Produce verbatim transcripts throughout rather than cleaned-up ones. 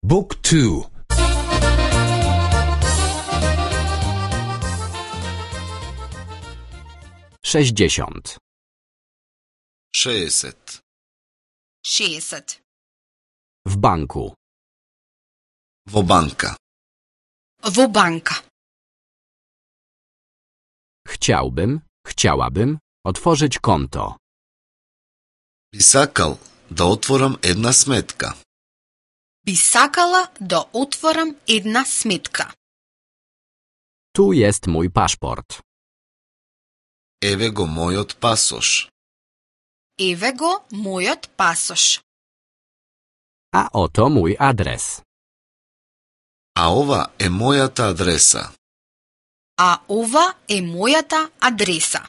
Book two. Sześćdziesiąt. šezdeset. šezdeset. W banku. Во банка. Во банка. Chciałbym, chciałabym otworzyć konto. Би сакал да отворам една сметка. Би сакала да отворам една сметка. Tu jest mój paszport. Еве го мојот пасош. Еве го мојот пасош. A oto mój adres. А ова е мојата адреса. А ова е мојата адреса.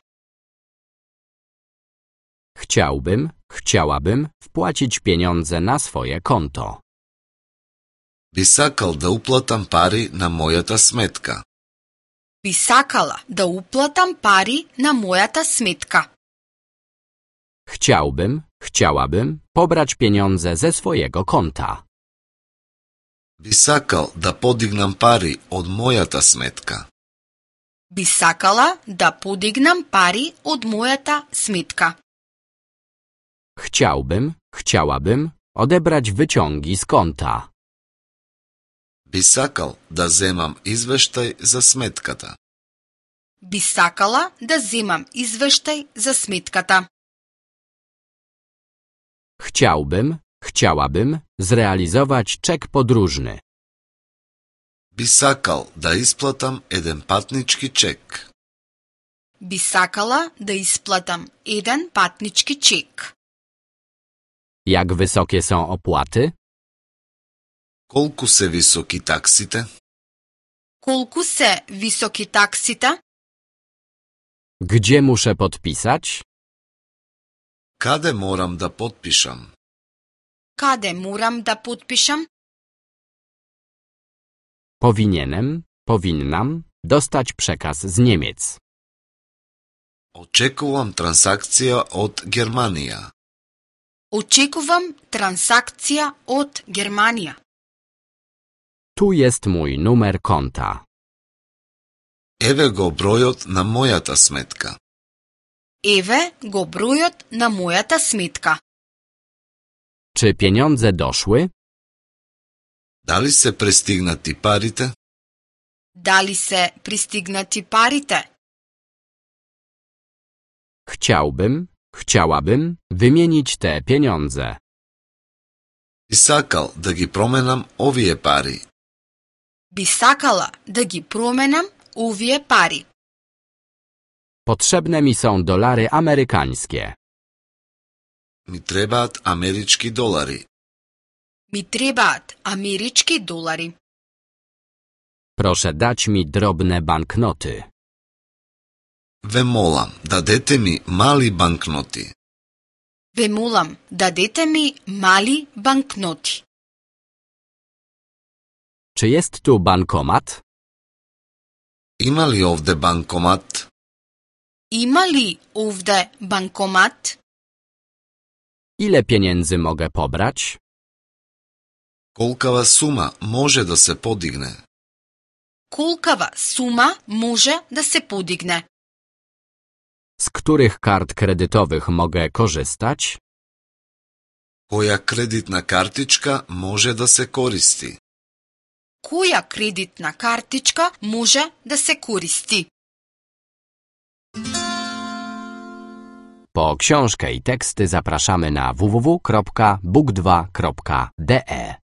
Chciałbym, chciałabym wpłacić pieniądze na swoje konto. Би сакал да уплатам пари на мојата сметка. Би сакала да уплатам пари на мојата сметка. Chciałbym, chciałabym pobrać pieniądze ze swojego konta. Би сакал да подигнам пари од мојата сметка. Би сакала да подигнам пари од мојата сметка. Chciałbym, chciałabym odebrać wyciągi z konta. Би сакал да земам извештај за сметката. Би сакала да земам извештај за сметката. Chciałbym, chciałabym zrealizować czek podróżny. Би сакал да исплатам еден патнички чек. Би сакала да исплатам еден патнички чек. Jak wysokie są opłaty? Колку се високи таксите? Колку се високи таксите? Gdzie muszę podpisać? Каде морам да потпишам? Каде морам да подпишам? Powinienem, powinnam dostać przekaz z Niemiec. Очекувам трансакција од Германија. Очекувам трансакција од Германија. Tu jest mój numer konta. Еве го бројот на мојата сметка. Еве го бројот на мојата сметка. Czy pieniądze doszły? Дали се пристигнати парите? Дали се пристигнати парите? Chciałbym, chciałabym wymienić te pieniądze. Би сакал да ги променам овие пари. Би сакала да ги променам овие пари. Potrzebne mi są dolary amerykańskie. Ми требаат амерички долари. Ми требаат амерички долари. Proszę dać mi drobne banknoty. Ве молам, дадете ми мали банкноти. Ве молам, дадете ми мали банкноти. Czy jest tu bankomat? Има ли овде банкомат? Има ли овде банкомат? Ile pieniędzy mogę pobrać? Колкава сума може да се подигне? Колкава сума може да се подигне? Z których kart kredytowych mogę korzystać? Која кредитна картичка може да се користи? Која кредитна картичка може да се користи? Po książkę i teksty zapraszamy na w w w kropka book dwa kropka d e.